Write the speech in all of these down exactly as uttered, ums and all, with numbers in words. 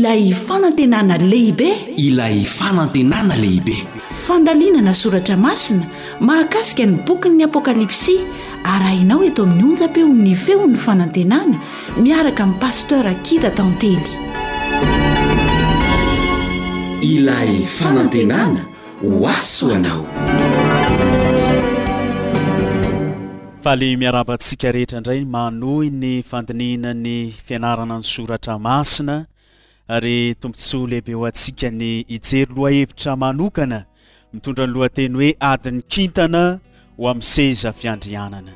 Ilay fanantenana lehibe. Ilay fanantenana lehibe. Fandalinana soratra masina mahakasika ny bokin'ny Apokalypsy, arahinao eto amin'ny onjam-peon'ny Feon'ny Fanantenana miaraka amin'ny Pasteur Akida Tantely. Ilay fanantenana ho aso anao. Faly miarahaba antsika rehetra indray manohy ny fandinihina ny fianarana ny soratra masina ary tombontsoa lehibe ho antsika ny hijery lohahevitra manokana mitondra ny lohateny hoe adin'ny kintana ho amin'ny seza fiandrianana.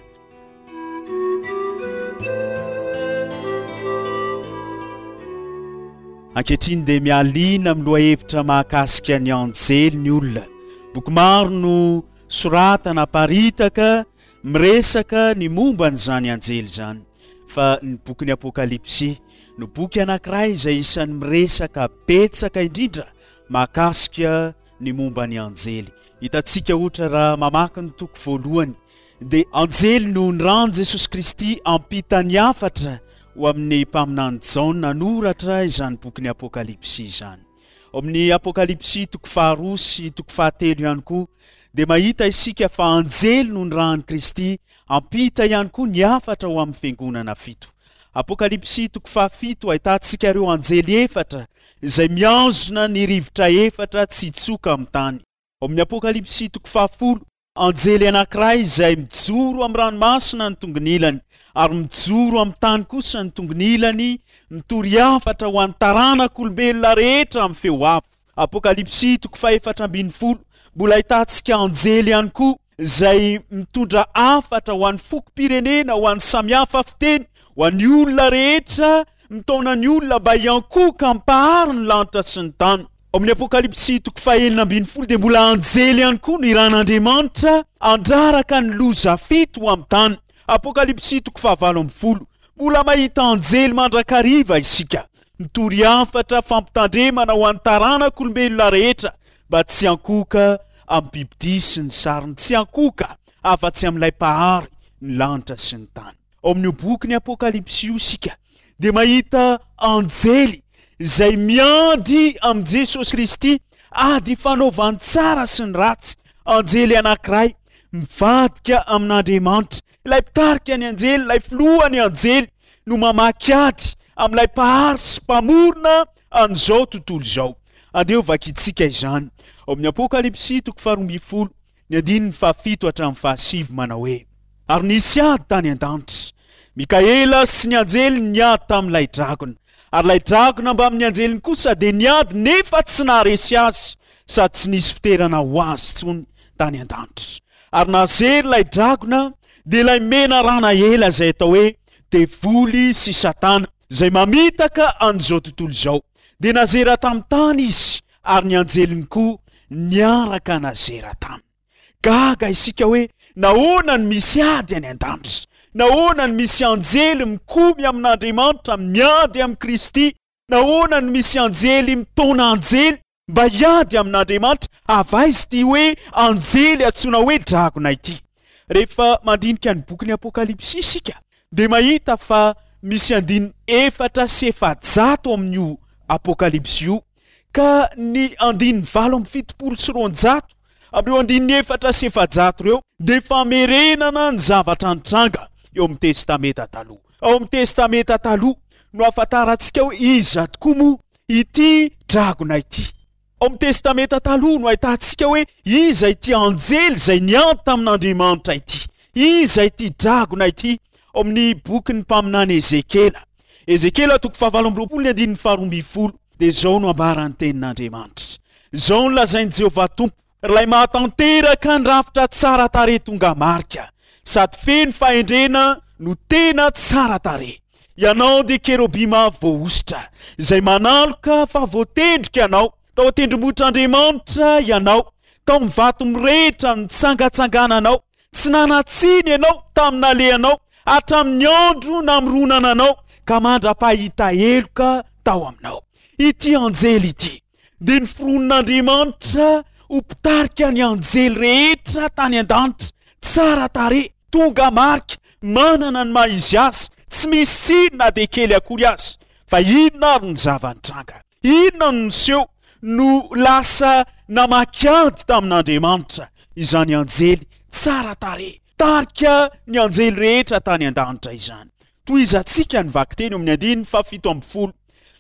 Ankehitriny dia mialiana amin'ny lohahevitra mahakasika ny anjely ny olona. Boky maro no soratana aparitaka miresaka ny momba an'izany anjely izany, fa ny bokin'ny Apokalypsy no boky anankiray izay isan'ny miresaka betsaka indrindra mahakasika ny momba ny anjely. Hitantsika ohatra raha mamaky ny toko voalohany dia anjely no niran'i Jesosy Kristy hampita ny hafatra ho amin'ny mpaminany Jaona hanoratra izany bokin'ny Apokalypsy izany. Ao amin'ny Apokalypsy toko faharoa sy toko fahatelo ihany koa dia mahita isika fa anjely no nirahan'i Kristy hampita ihany koa ny hafatra ho amin'ny fiangonana fito. Apokalypsy toko fahafito ahitantsika ireo anjely efatra izay mihazona ny rivotra efatra tsy hitsoka amin'ny tany. Ao amin'ny Apokalypsy toko fahafolo, anjely anankiray izay mijoro amin'ny ranomasina ny tongony ilany ary mijoro amin'ny tany kosa ny tongony ilany, mitory hafatra ho an'ny taranak'olombelona rehetra amin'ny feo avo. Apokalypsy toko fahefatra ambin'ny folo, mbola ahitantsika anjely ihany koa izay mitondra hafatra ho an'ny fokom-pirenena, ho an'ny samihafa fiteny, ho an'ny olona rehetra, mitaona ny olona mba hiankohoka hampahary ny lanitra sy ny tany. Ao amin'ny Apokalypsy toko fahenina ambin'ny folo dia mbola anjely ihany koa no iran'Andriamanitra handraraka ny loza fito ho amin'ny tany. Apokalypsy toko fahavalo ambin'ny folo, mbola mahita anjely mandrakariva isika, mitory hafatra fampitandremana ho an'ny taranak'olombelona rehetra mba tsy hiankohoka amin'ny bibidia sy ny sariny, tsy hiankohoka afa-tsy amin'ilay Mpahary ny lanitra sy ny tany. Ao amin'io bokin'ny Apokalypsy io isika dia mahita anjely izay miady amin'i Jesosy Kristy, ady ifanaovan'ny tsara sy ny ratsy, anjely anankiray mivadika amin'Andriamanitra, ilay mpitarika ny anjely, ilay filohan'ny anjely no mamaky ady amin'ilay Mpahary sy Mpamorona an'izao tontolo izao. Andeha ho vakintsika izany ao amin'ny Apokalypsy toko faharoa ambin'ny folo, ny andininy fahafito hatramin'ny fahasivy manao hoe, Ary nisy ady tany an-danitra. Mikaela sy ny anjeliny niady tamin'ilay dragona. Ary ilay dragona mbamin'ny anjeliny kosa dia niady nefa tsy naharesy azy, sady tsy nisy fiterana ho azy intsony tany an-danitra. Ary nazery ilay dragona, dia ilay menarana ela izay atao hoe Devoly sy Satana, izay mamitaka an'izao tontolo izao. Dia nazera tamin'ny tany izy, ary ny anjeliny koa niaraka nazera taminy. Gaga isika hoe nahoana no misy ady any an-danitra? Nahoana no misy anjely mikomy amin'Andriamanitra, miady amin'i Kristy? Nahoana no misy anjely mitaona anjely mba hiady amin'Andriamanitra? Avy aiza ity hoe anjely antsoina hoe dragona ity? Rehefa mandinika ny bokin'ny Apokalypsy isika dia mahita fa misy andininy efatra sy efajato amin'io Apokalypsy io, ka ny andininy valo amby fitopolo sy roanjato amin'ireo andininy efatra sy efajato ireo dia famerenana ny zavatra nitranga eo amin'ny Testamenta Taloha. Ao amin'ny Testamenta Taloha no ahafantarantsika hoe iza tokoa moa ity dragona ity. Ao amin'ny Testamenta Taloha no ahitantsika hoe iza ity anjely izay niady tamin'Andriamanitra ity. Iza ity dragona ity? Ao amin'ny bokin'ny mpaminany Ezekiela. Ezekiela toko fahavalo amby roapolo ny andininy faharoa ambin'ny folo dia izao no ambaran'ny tenin'Andriamanitra. Izao no lazain'i Jehovah Tompo, Ilay mahatanteraka ny rafitra tsara tarehy tonga marika, sady feno fahendrena no tena tsara tarehy. Ianao dia kerobima voahosotra, izay manaloka fa voatendrika ianao. Tao an-tendrombohitr'Andriamanitra ianao, tao amin'ny vato mirehitra nitsangatsangananao. Tsy nanan-tsiny ianao tamin'ny nalehanao hatramin'ny andro namoronana anao ka mandra-pahita heloka tao aminao. Ity anjely ity dia noforonin'Andriamanitra ho mpitarika ny anjely rehetra tany an-danitra, tsara tarehy, tonga marika, manana ny maha izy azy, tsy misy tsiny na dia kely akory aza. Fa inona ary no zava-nitranga? Inona no niseho no lasa namaky ady tamin'Andriamanitra izany anjely tsara tarehy, tarika ny anjely rehetra tany an-danitra izany? Tohizantsika ny vakiteny eo amin'ny andininy fahafito ambin'ny folo.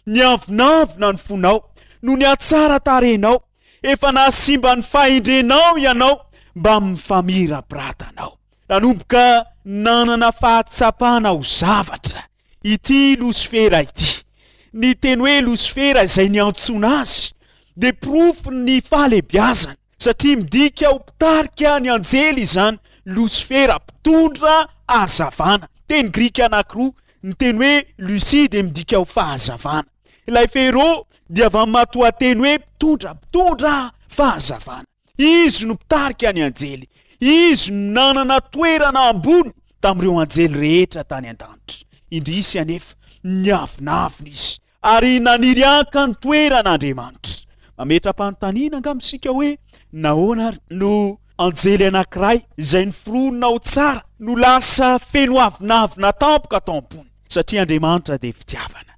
Niavonavona ny fonao noho ny hatsara tarehinao, efa nahasimba ny fahendrenao ianao mbamin'ny famirapiratanao. Nanomboka nanana fahatsapana ho zavatra ity Losifera ity. Ny teny hoe Losifera izay niantsoana azy dia porofon'ny fahalehibiazany, satria midika ho mpitarika ny anjely izany, Losifera, mpitondra hazavana. Teny grika anankiroa, ny teny hoe Lucy dia midika ho fahazavana. Ilay Fero dia avy amin'ny matoanteny hoe mpitondra, mpitondra fahazavana. Izy no mpitarika ny anjely. Izy no nanana toerana ambony tamin'ireo anjely rehetra tany an-danitra. Indrisy anefa, niavonavona izy ary naniry haka ny toeran'Andriamanitra. Mametra-panontaniana angamba isika hoe, nahoana ary no anjely anankiray izay noforonina ho tsara no lasa feno avonavona tampoka tao am-pony? Satria Andriamanitra dia fitiavana.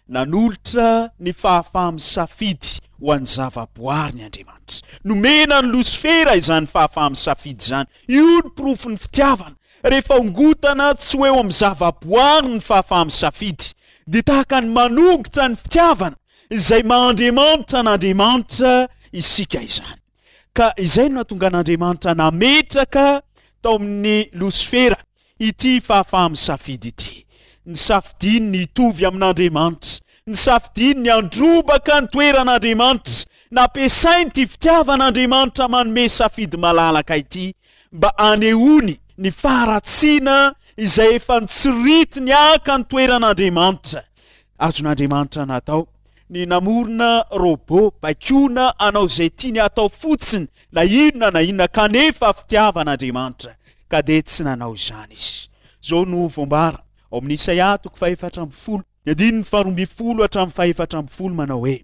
Nanolotra ny fahafaha-misafidy ho an'ny zavaboariny Andriamanitra. Nomena an'i Losifera izany fahafaha-misafidy izany. Io no porofon'ny fitiavana. Rehefa ongotana tsy ho eo amin'ny zavaboary ny fahafaha-misafidy, dia tahaka ny manongotra ny fitiavana izay maha Andriamanitra an'Andriamanitra isika izany. Ka izay no nahatonga an'Andriamanitra nametraka tao amin'ny Losifera ity fahafaha-misafidy ity. Nisafidiany ny hitovy amin'Andriamanitra. Nisafidiany ny handrobaka ny toeran'Andriamanitra. Nampiasainy ity fitiavan'Andriamanitra manome safidy malalaka ity mba hanehoany ny faharatsiana izay efa notsiritiny haka ny toeran'Andriamanitra. Azon'Andriamanitra natao ny namorona robot baikoana hanao izay tiany hatao fotsiny na inona na inona, kanefa fitiavan'Andriamanitra ka dia tsy nanao izany izy. Izao no voambara ao amin'ny Isaia toko fahefatra ambin'ny folo, ny andininy faharoa ambin'ny folo hatramin'ny fahefatra ambin'ny folo manao hoe: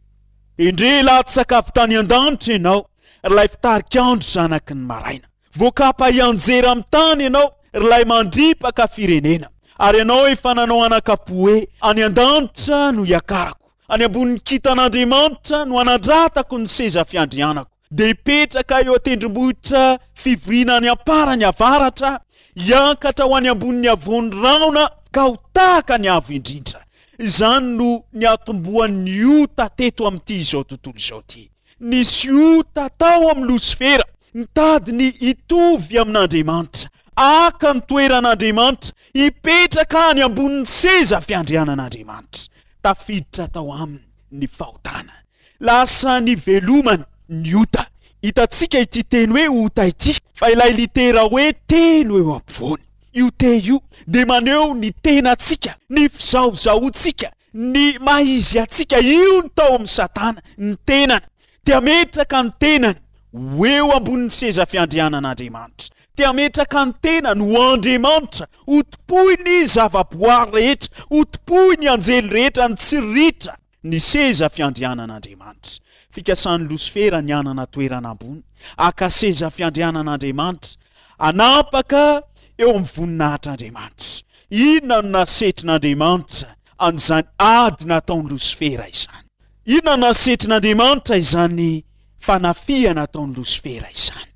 Endrey latsaka avy tany an-danitra ianao, ry ilay fitarikandro zanaky ny maraina. Voakapa hianjera amin'ny tany ianao, ry ilay mandripaka firenena. Ary ianao efa nanao anakapo hoe, Any an-danitra no hiakarako, any ambonin'ny kintan'Andriamanitra no hanandratako ny seza fiandrianako. Dia hipetraka eo an-tendrombohitra fivoriana any am-parany avaratra, hiankatra ho any ambonin'ny havoan'ny rahona ka ho tahaka ny Avo Indrindra. Izany no niatombohan'ny ota teto amin'ity izao tontolo izao ity. Nisy ota tao amin'ny Losifera, nitady ny hitovy amin'Andriamanitra, haka ny toeran'Andriamanitra, hipetraka any ambonin'ny seza fiandrianan'Andriamanitra. Tafiditra tao aminy ny fahotana. Lasa nivelomany ny ota. Hitantsika ity teny hoe ota ity fa ilay litera hoe T no eo ampovoany. Io T io dia maneho ny tenantsika, ny fizahozahoantsika, ny maha izy antsika. Io no tao amin'i Satana, ny tenany. Te hametraka ny tenany ho eo ambonin'ny seza fiandrianan'Andriamanitra. Te hametraka ny tenany ho Andriamanitra, ho tompoin'ny zavaboary rehetra, ho tompoin'ny anjely rehetra, ny tsiritra ny seza fiandrianan'Andriamanitra. Fikasan'i Losifera ny hanana toerana ambony, haka seza fiandrianan'Andriamanitra, hanapaka eo amin'ny voninahitr'Andriamanitra. Inona no nasetrin'Andriamanitra an'izany ady nataon'i Losifera izany? Inona no nasetrin'Andriamanitra izany fanafihana ataon'i Losifera izany?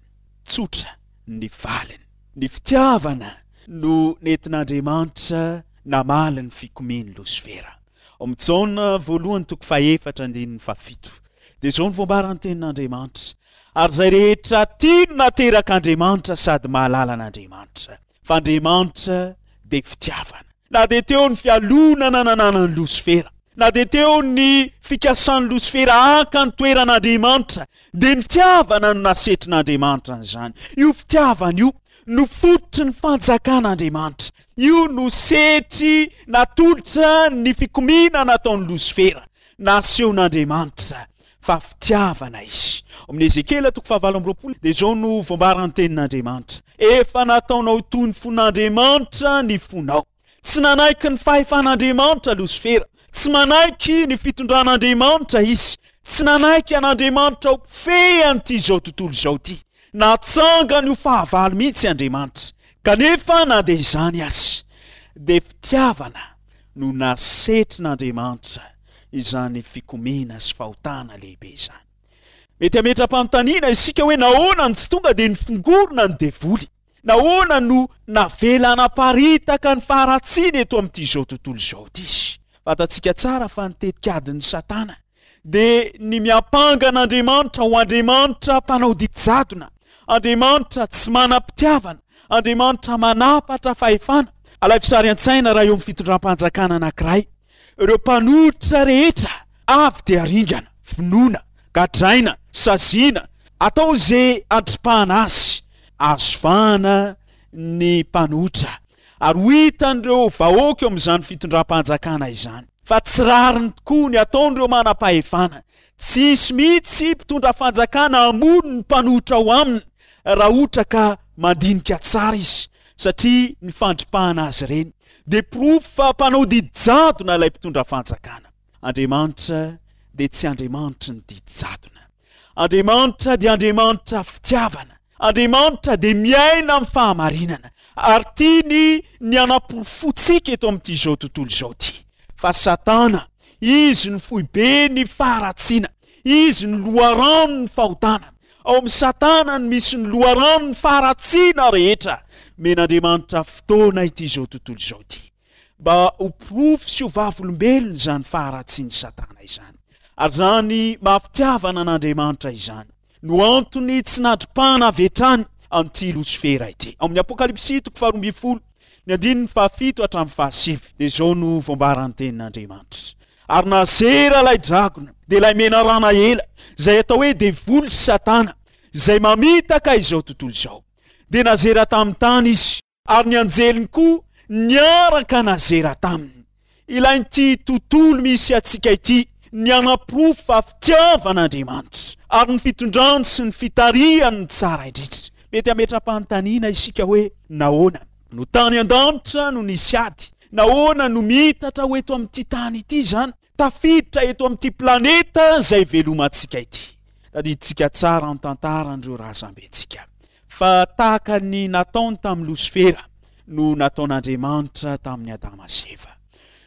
Tsotra ny valiny. Ny fitiavana no nentin'Andriamanitra namaly ny fikomian'i Losifera. Ao amin'ny Jaona voalohany toko fahefatra andininy fahafito dia izao no voambaran'ny tenin'Andriamanitra, Ary izay rehetra tia no naterak'Andriamanitra sady mahalala an'Andriamanitra, fa Andriamanitra dia fitiavana. Na dia teo ny fialonana nananan'i Losifera, na dia teo ny fikasan'i Losifera haka ny toeran'Andriamanitra, dia ny fitiavana no nasetrin'Andriamanitra an'izany. Io fitiavana io no fototry ny fanjakan'Andriamanitra. Io no setry natolotra ny fikomiana nataon'i Losifera. Nasehon'Andriamanitra fa fitiavana izy. Ao amin'ny Ezekiela toko fahavalo amby roapolo dia izao no voambaran'ny tenin'Andriamanitra, Efa nataonao toy ny fon'Andriamanitra ny fonao. Tsy nanaiky ny fahefan'Andriamanitra Losifera. Tsy manaiky ny fitondran'Andriamanitra izy. Tsy nanaiky an'Andriamanitra ho mpifehy an'ity izao tontolo izao ity. Natsangany ho fahavalo mihitsy Andriamanitra. Kanefa na dia izany aza, dia fitiavana no nasetrin'Andriamanitra izany fikomiana sy fahotana lehibe izany. Mety hametra-panontaniana isika hoe nahoana no tsy tonga dia nifongorona ny devoly? Nahoana no navela hanaparitaka ny faharatsiana eto amin'ity izao tontolo izao ity izy? Fantatsika tsara fa ny tetikadin'i Satana dia ny miampanga an'Andriamanitra ho Andriamanitra mpanao didy jadona, Andriamanitra tsy manam-pitiavana, Andriamanitra manapatra fahefana. Alaivo sary an-tsaina raha eo amin'ny fitondram-panjakana anankiray, ireo mpanohitra rehetra avy dia ringana, vonoina, gadraina, saziana, atao izay handripahana azy. Azo vahana ny mpanohitra ary ho hitan'ireo vahoaka eo amin'izany fitondram-panjakana izany fa tsy rariny tokoa ny ataon'ireo manam-pahefana. Tsy hisy mihitsy mpitondra fanjakana hamono ny mpanohitra ao aminy raha ohatra ka mandinika tsara izy, satria ny fandripahana azy ireny dia porofo fa mpanao didy jadona ilay mpitondra fanjakana. Andriamanitra dia tsy Andriamanitry ny didy jadona. Andriamanitra dia Andriamanitra fitiavana. Andriamanitra dia miaina amin'ny fahamarinana ary tiany ny hanaporofoantsika eto amin'ity izao tontolo izao ity fa Satana, izy no foiben'ny faharatsiana, izy no loharanon'ny fahotana. Ao amin'i Satana no misy ny loharanon'ny faharatsiana rehetra. Omen'Andriamanitra fotoana ity izao tontolo izao ity mba ho porofo sy ho vavolombelona izany faharatsian'i Satana izany. Ary izany maha-fitiavana an'Andriamanitra izany no antony tsy nandripahana avy hatrany an'ity Losifera ity. Ao amin'ny Apokalypsy toko faharoa ambin'ny folo, ny andininy fahafito hatramin'ny fahasivy, dia izao no voambaran'ny tenin'Andriamanitra: Ary nazera ilay dragona, dia ilay menarana ela, izay atao hoe devoly sy Satana, izay mamitaka izao tontolo izao. Dia nazera tamin'ny tany izy, ary ny anjeliny koa niaraka nazera taminy. Ilain'ity tontolo misy antsika ity ny hanaporofo fa fitiavan'Andriamanitra ary ny fitondrany sy ny fitarihany no tsara indrindra. Mety hametra-panontaniana isika hoe, Nahoana no tany an-danitra no nisy ady? Nahoana no miitatra ho eto amin'ity tany ity izany, tafiditra eto amin'ity planeta izay ivelomantsika ity? Tadidintsika tsara ny tantaran'ireo razambentsika. Fa tahaka ny nataony tamin'i Losifera no nataon'Andriamanitra tamin'i Adama sy Eva.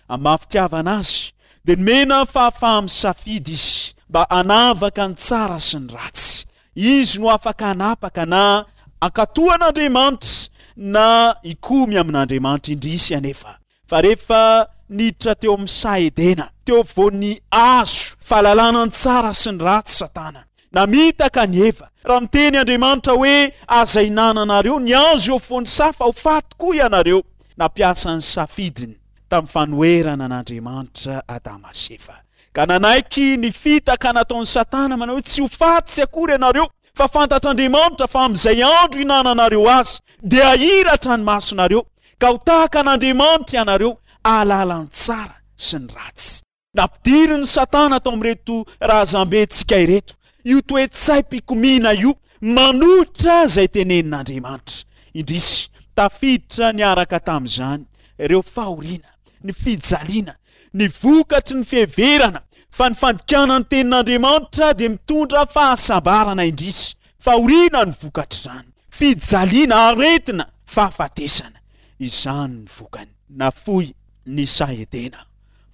Amin'ny maha fitiavana azy, dia nomena fahafaha-misafidy izy mba hanavaka ny tsara sy ny ratsy. Izy no afaka hanapaka na hankatò an'Andriamanitra na hikomy amin'Andriamanitra. Indrisy anefa fa rehefa niditra teo amin'ny saha Edena, teo afovoan'ny hazo fahalalana ny tsara sy ny ratsy Satana, namitaka an'i Eva. Raha miteny Andriamanitra hoe, Aza ihinananareo ny hazo eo afovoan'ny saha fa ho faty koa ianareo. Nampiasa ny safidiny tamin'ny fanoherana an'Andriamanitra Adama sy Eva, ka nanaiky ny fitaka nataon'i Satana manao hoe, Tsy ho faty tsy akory ianareo, fa fantatr'Andriamanitra fa amin'izay andro ihinananareo azy dia hahiratra ny masonareo, ka ho tahaka an'Andriamanitra ianareo hahalala ny tsara sy ny ratsy. Nampidirin'i Satana tao amin'ireto razambentsika ireto io toe-tsaim-pikomiana io manohitra izay tenenin'Andriamanitra. Indrisy, tafiditra niaraka tamin'izany ireo fahoriana, ny fijaliana, ny vokatry ny fiheverana fa ny fandikana ny tenin'Andriamanitra dia mitondra fahasambarana. Indrisy, fahoriana no vokatr'izany, fijaliana, aretina, fahafatesana. Izany ny vokany. Nafoy ny saha Edena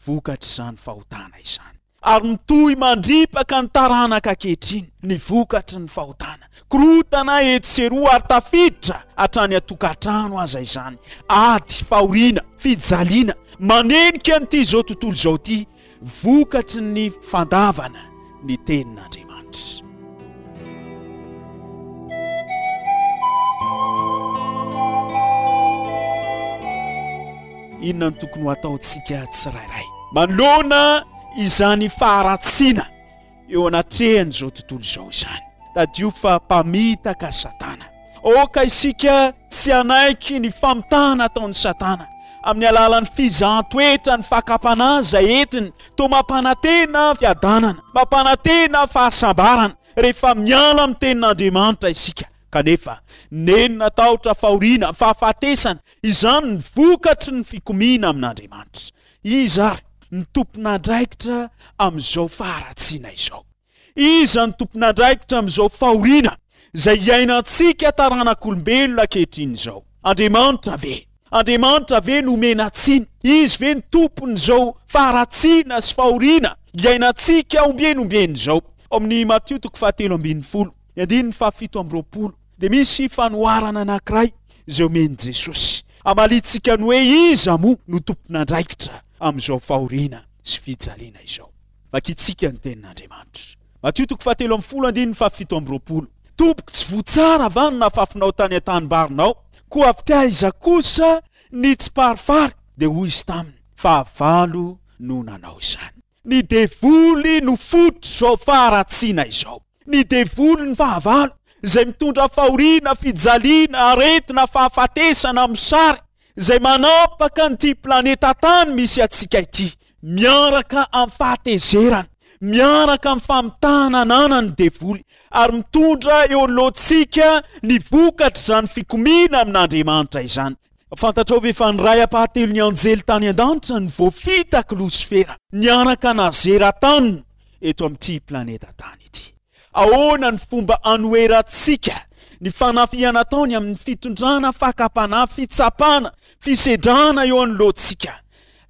vokatr'izany fahotana izany. Ary mitohy mandripaka ny taranaka ankehitriny ny vokatry ny fahotana. Korontana etsy sy eroa ary tafiditra hatrany an-tokantrano aza izany. Ady, fahoriana, fijaliana manenika an'ity izao tontolo izao ity vokatry ny fandavana ny tenin'Andriamanitra. Inona no tokony ho ataontsika tsirairay manoloana izany faharatsiana eo anatrehan'izao tontolo izao izany? Tadidio fa mpamitaka Satana. Aoka isika tsy hanaiky ny famitahana ataon'i Satana amin'ny alalan'ny fizahan-toetra ny fakam-panahy izay entiny toa mampanantena fiadanana, mampanantena fahasambarana rehefa miala amin'ny tenin'Andriamanitra isika. Kanefa, nenina, tahotra, fahoriana, fahafatesana, izany ny vokatry ny fikomiana amin'Andriamanitra. Iza ary no tompon'andraikitra amin'izao faharatsiana izao? Iza no tompon'andraikitra amin'izao fahoriana izay iainantsika taranak'olombelona ankehitriny izao? Andriamanitra ve? Andriamanitra ve no omena tsiny? Izy ve ny tompon'izao faharatsiana sy fahoriana iainantsika ombieny ombieny izao? Ao amin'ny Matio toko fahatelo ambin'ny folo, ny andininy fahafito amby roapolo, dia misy fanoharana anankiray izay omen'i Jesosy. Hamaliantsika ny hoe iza moa no tompon'andraikitra amin'izao fahoriana sy fijaliana izao. Vakintsika ny tenin'Andriamanitra. Matio toko fahatelo ambin'ny folo andininy fahafito amby roapolo. Tompoko, tsy voa tsara va ny nafafinao tany an-tanimbarinao? Koa avy taiza kosa ny tsiparifary? Dia hoy izy taminy, Fahavalo no nanao izany. Ny devoly no fototr'izao faharatsiana izao. Ny devoly ny fahavalo, izay mitondra fahoriana, fijaliana, aretina, fahafatesana, mosary, izay manapaka an'ity planeta tany misy antsika ity, miaraka amin'ny fahatezerana, miaraka amin'ny famitahana ananany ny devoly, ary mitondra eo anoloantsika ny vokatr'izany fikomiana amin'Andriamanitra izany. Fantatrao ve fa ny iray ampahatelon'ny anjely tany an-danitra no voafitak'i Losifera niaraka nazera taminy eto amin'ity planeta tany ity? Ahoana ny fomba anoherantsika ny fanafihana ataony amin'ny fitondrana fakam-panahy, fitsapana, fisedrana eo anoloantsika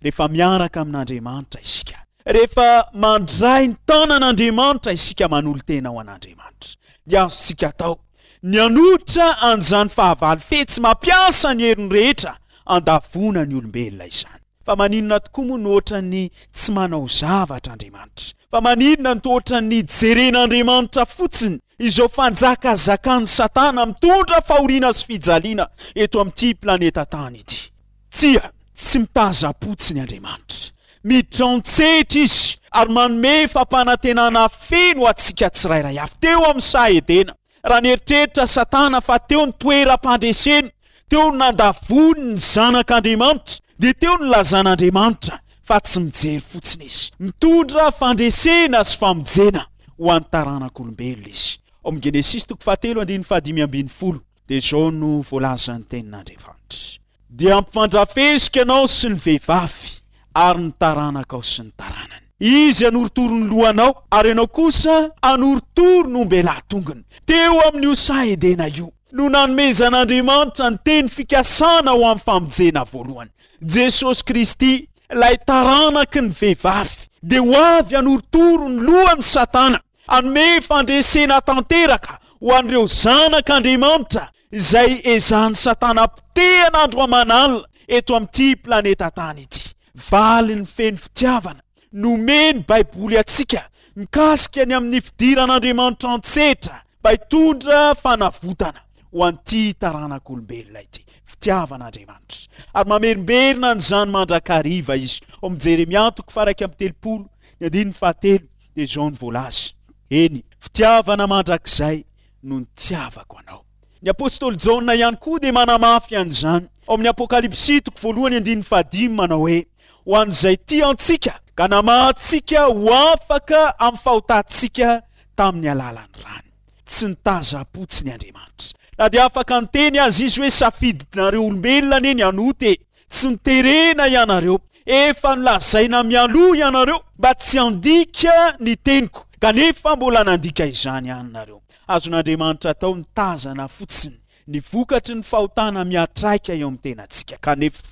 rehefa miaraka amin'Andriamanitra isika? Rehefa mandray ny tanan'Andriamanitra isika manolo-tena ho an'Andriamanitra, dia azontsika atao ny hanohitra an'izany fahavalo fetsy mampiasa ny heriny rehetra handavoana ny olombelona izany. Fa maninona tokoa moa no ohatran'ny tsy manao zavatra Andriamanitra? Fa maninona no toa ohatran'ny jeren'Andriamanitra fotsiny izao fanjakazakan'i Satana mitondra fahoriana sy fijaliana eto amin'ity planeta tany ity? Tsia, tsy mitazam-potsiny Andriamanitra. Miditra an-tsehatra Izy ary manome fampanantenana feno antsika tsirairay avy. Teo amin'ny saha Edena, raha nieritreritra Satana fa teo ny toeram-pandreseny, teo no nandavoany ny Zanak'Andriamanitra, dia teo no nilazan'Andriamanitra fa tsy mijery fotsiny Izy. Mitondra fandresena sy famonjena ho an'ny taranak'olombelona Izy. Ao amin'ny Genesisy toko fahatelo andininy fahadimy ambin'ny folo dia izao no voalazan'ny Tenin'Andriamanitra. Dia hampifandrafesiko ianao sy ny vehivavy, ary ny taranakao sy ny taranany. Izy hanorotoro ny lohanao, ary ianao kosa hanorotoro ny ombelahy tongony. Teo amin'io saha Edena io no nanomezan'Andriamanitra ny teny fikasana ho amin'ny famonjena voalohany. Jesosy Kristy, ilay taranaky ny vehivavy, dia ho avy hanorotoro ny lohan'i Satana, hanome fandresena tanteraka ho an'ireo zanak'Andriamanitra izay ezahan'i Satana potehana andro aman'alina eto amin'ity planeta tany ity. Valiny feno fitiavana nomen'ny Baiboly antsika mikasika ny amin'ny fidiran'Andriamanitra an-tsetra mba hitondra fanavotana ho an'ity taranak'olombelona ity. Fitiavan'Andriamanitra. Ary mamerimberina an'izany mandrakariva izy. Ao amin'ny Jeremia toko faha-iraika amby telopolo, ny andininy fahatelo, dia izao no voalaza, Eny, fitiavana mandrakizay no nitiavako anao. Ny apostoly Jaona ihany koa dia manamafy an'izany ao amin'ny Apokalypsy toko voalohany andininy fahadimy manao hoe, Ho an'izay tia antsika ka namaha antsika ho afaka amin'ny fahotantsika tamin'ny alalan'ny rany. Tsy nitazam-potsiny Andriamanitra. Na dia afaka niteny aza izy hoe safidinareo olombelona anie ny hanota e! Tsy noterena ianareo. Efa nolazaina mialoha ianareo mba tsy handika ny teniko, kanefa mbola nandika izany ihany nareo. Azon'Andriamanitra atao ny tazana fotsiny ny vokatry ny fahotana miantraika eo amin'ny tenantsika, kanefa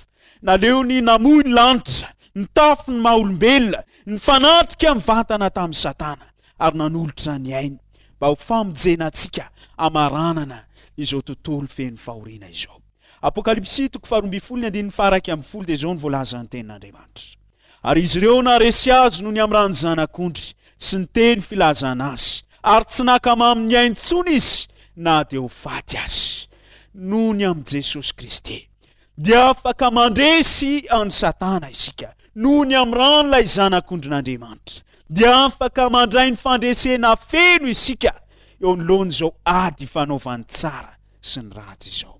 naleony namoy ny lanitra, nitafy ny maha-olombelona, nifanatrika mivantana tamin'i Satana, ary nanolotra ny ainy mba ho famonjena antsika hamaranana izao tontolo feno fahoriana izao. Apokalypsy toko faharoa ambin'ny folo ny andininy faha-iraika ambin'ny folo dia izao no voalazan'ny tenin'Andriamanitra, Ary izy ireo naharesy azy noho ny amin'ny ran'ny Zanak'ondry sy ny teny filazana azy, ary tsy naka mamy ny ainy intsony izy na dia ho faty aza. Noho ny amin'i Jesosy Kristy, dia afaka mandresy an'i Satana isika. Noho ny amin'ny ran'ilay Zanak'ondrin'Andriamanitra, dia afaka mandray ny fandresena feno isika eo anoloan'izao ady ifanaovan'ny tsara sy ny ratsy izao.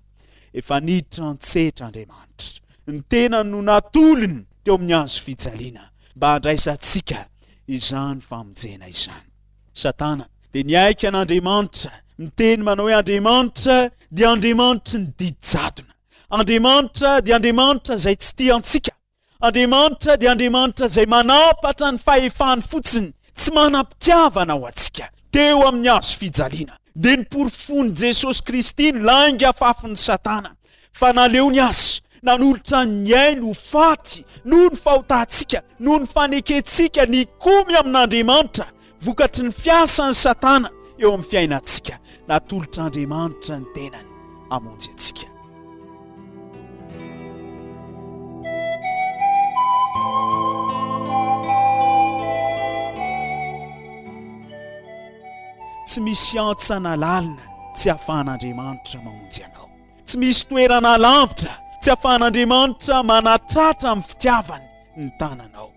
Efa niditra an-tsetra Andriamanitra. Ny tenany no natolony teo amin'ny hazo fijaliana mba handraisantsika izany famonjena izany. Satana dia niaiky an'Andriamanitra, miteny manao hoe Andriamanitra dia Andriamanitry ny didy jadona. Andriamanitra dia Andriamanitra izay tsy tia antsika. Andriamanitra dia Andriamanitra izay manampatra ny fahefany fotsiny, tsy manam-pitiavana ho antsika. Teo amin'ny hazo fijaliana, dia noporofoin'i Jesosy Kristy ny lainga afafin'i Satana, fa naleony azy Nanolotra ny ainy ho faty noho ny fahotantsika, noho ny fanekentsika nikomy amin'Andriamanitra, vokatry ny fiasan'i Satana eo amin'ny fiainantsika. Natolotr'Andriamanitra ny tenany hamonjy antsika. Tsy misy hantsana lalina tsy ahafahan'Andriamanitra mamonjy anao. Tsy misy toerana lavitra tsy ahafahan'Andriamanitra manatratra amin'ny fitiavany ny tananao.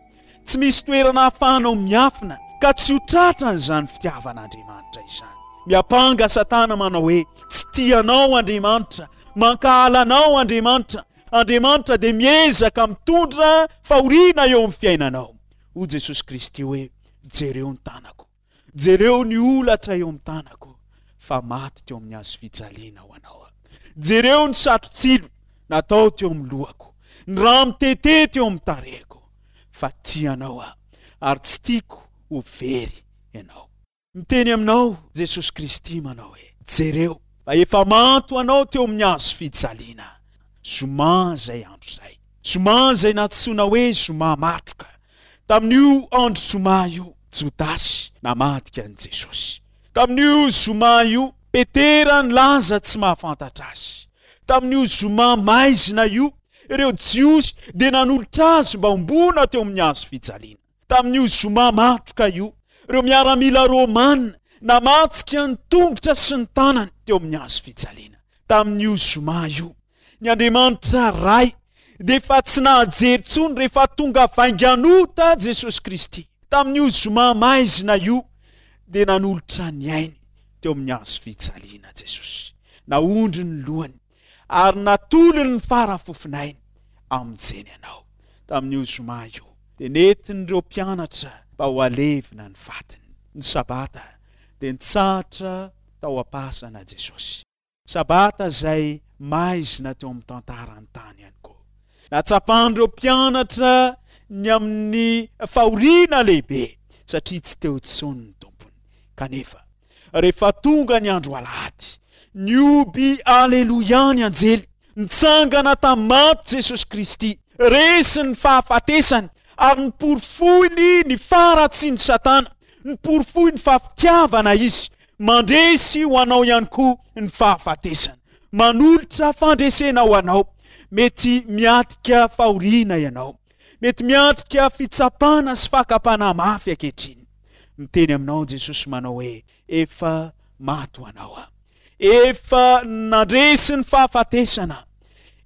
Tsy misy toerana ahafahanao miafina ka tsy ho tratran'izany fitiavan'Andriamanitra izany. Miampanga Satana manao hoe tsy tia anao Andriamanitra, mankahala anao Andriamanitra. Andriamanitra dia miezaka mitondra fahoriana eo amin'ny fiainanao. Hoy Jesosy Kristy hoe jereo ny tanako, jereo ny holatra eo amin'ny tanako fa maty teo amin'ny hazo fijaliana ho anao aho. Jereo ny satrotsilo natao teo amin'ny lohako, ny rà mitete teo amin'ny tarehiko fa tia anao aho ary tsy tiako ho very ianao. Miteny aminao Jesosy Kristy manao hoe jereo fa efa maty ho anao teo amin'ny hazo fijaliana. Zoma izay andro izay. Zoma izay nantsoina hoe zoma matroka. Tamin'io andro zoma io, Jodasy namadika an'i Jesosy. Tamin'io zoma io, Petera nilaza tsy mahafantatra azy. Tamin'io zoma maizina io, ireo Jiosy dia nanolotra azy mba homboana teo amin'ny hazo fijaliana. Tamin'io zoma matroka io, ireo miaramila romana namatsika ny tongotra sy ny tanany teo amin'ny hazo fijaliana. Tamin'io zoma io, ny Andriamanitra Ray dia efa tsy nahajery intsony rehefa tonga vainganota Jesosy Kristy. Tamin'io zoma maizina io dia nanolotra ny ainy teo amin'ny hazo fijaliana Jesosy. Naondry ny lohany ary natolony ny fara-fofonainy hamonjeny anao. Tamin'io zoma io dia nentin'ireo mpianatra mba ho alevina ny fatiny. Ny sabata dia nitsahatra tao am-pasana Jesosy. Sabata izay maizina teo amin'ny tantaran'ny tany ihany koa. Natsapan'ireo mpianatra ny amin'ny fahoriana lehibe satria tsy teo intsony ny Tompony. Kanefa, rehefa tonga ny andro alahady, nihoby aleloia ny anjely, nitsangana tamin'ny maty Jesosy Kristy, resy ny fahafatesany ary niporofoiny ny faharatsian'i Satana, niporofoiny fa fitiavana izy. Mandresy ho anao ihany koa ny fahafatesana. Manolotra fandresena ho anao. Mety miatrika fahoriana ianao. Mety miatrika fitsapana sy fakam-panahy mafy ankehitriny. Miteny aminao Jesosy manao hoe efa maty ho anao aho. Efa nandresy ny fahafatesana.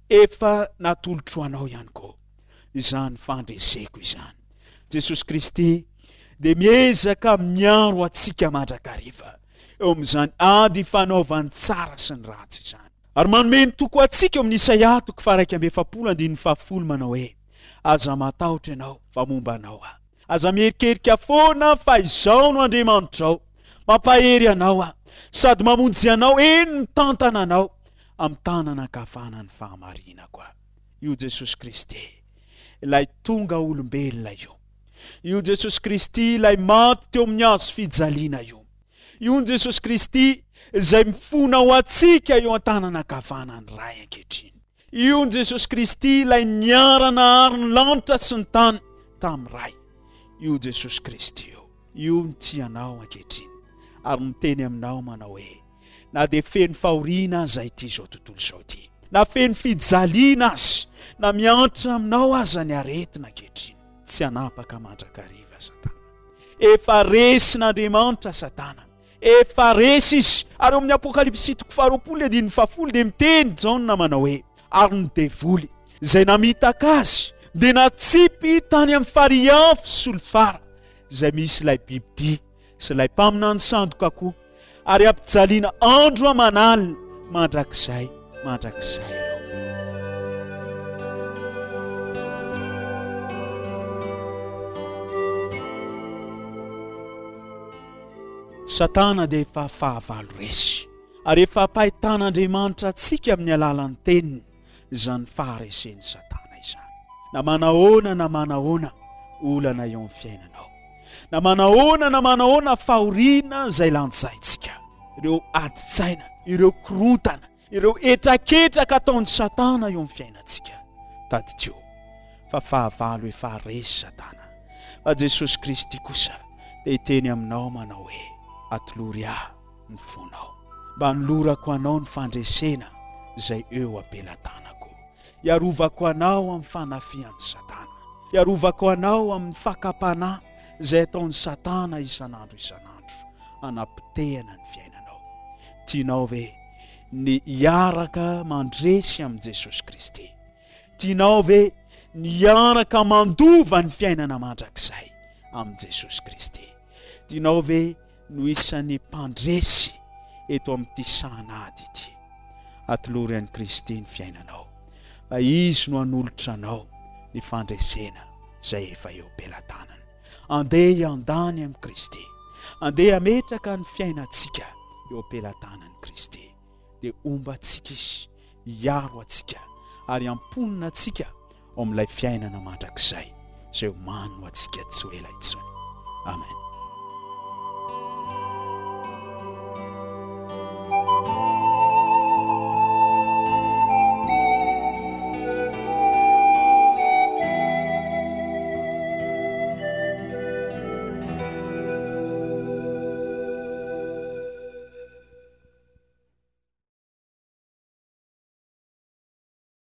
Efa natolotro ho anao ihany koa izany fandreseko izany. Jesosy Kristy dia miezaka miaro antsika mandrakariva eo amin'izany ady fanaovany tsara sy ny ratsy izany. Ary manome ny toko antsika eo amin'ny Isaia toko faha-iraika amby efapolo andininy fahafolo manao hoe aza matahotra ianao fa momba anao aho. Aza mierikerika foana fa izao no Andriamanitrao. Mampahery anao aho sady mamonjy anao, eny mitantana anao amin'ny tanana ankavana ny fahamarinako aho. Io Jesosy Kristy ilay tonga olombelona io. Io Jesosy Kristy ilay maty teo amin'ny hazo fijaliana io. Io ny Jesosy Kristy izay mifona ho antsika eo an-tanana ankavanan'ny Ray ankehitriny. Io ny Jesosy Kristy ilay niara-nahary ny lanitra sy ny tany tamin'ny Ray. Io Jesosy Kristy io. Io no tia anao ankehitriny ary miteny aminao manao hoe na dia feno fahoriana aza ity izao tontolo izao ity, na feno fijaliana aza, na miantra aminao aza ny aretina ankehitriny, tsy hanapaka mandrakariva Satana. Efa resin'Andriamanitra Satana. Efa resy izy. Ary eo amin'ny Apokalypsy toko faharoapolo andininy fahafolo dia miteny Jaona manao hoe ary ny devoly izay namitaka azy dia natsipy tany amin'ny farihy afo solifara izay misy ilay bibidia sy ilay mpaminany sandoka koa ary ampijaliana andro aman'alina mandrakizay mandrakizay ireo. Satana dia efa fahavalo resy ary efa ampahitan'Andriamanitra antsika amin'ny alalan'ny teniny izany faharesen'i Satana izany. Na manahoana na manahoana olana eo amin'ny fiainanao, na manahoana na manahoana fahoriana izay lanjaintsika, ireo adin-tsaina, ireo korontana, ireo hetraketraka ataon'i Satana eo amin'ny fiainantsika, Tadidio fa fahavalo efa resy Satana, fa Jesosy Kristy kosa dia hiteny aminao manao hoe, Atolory ahy ny fonao, mba hanolorako anao ny fandresena izay eo am-pelatanako. Hiarovako anao amin'ny fanafihan'i Satana. Hiarovako anao amin'ny fakam-panahy izay ataon'i Satana isan'andro isan'andro hanapotehana ny fiainanao. Tianao ve ny hiaraka mandresy amin'i Jesosy Kristy? Tianao ve ny hiaraka mandova ny fiainana mandrakizay amin'i Jesosy Kristy? Tianao ve no isan'ny mpandresy eto amin'ity sahan'ady ity? Atolory an'i Kristy ny fiainanao, fa Izy no hanolotra anao ny fandresena izay efa eo am-pelatanana. Andeha hiandany amin'i Kristy. Andeha hametraka ny fiainantsika eo am-pelatanan'i Kristy. Dia homba antsika Izy, hiaro antsika ary hamponina antsika ao amin'ilay fiainana mandrakizay izay omaniny ho antsika tsy ho ela intsony. Amen.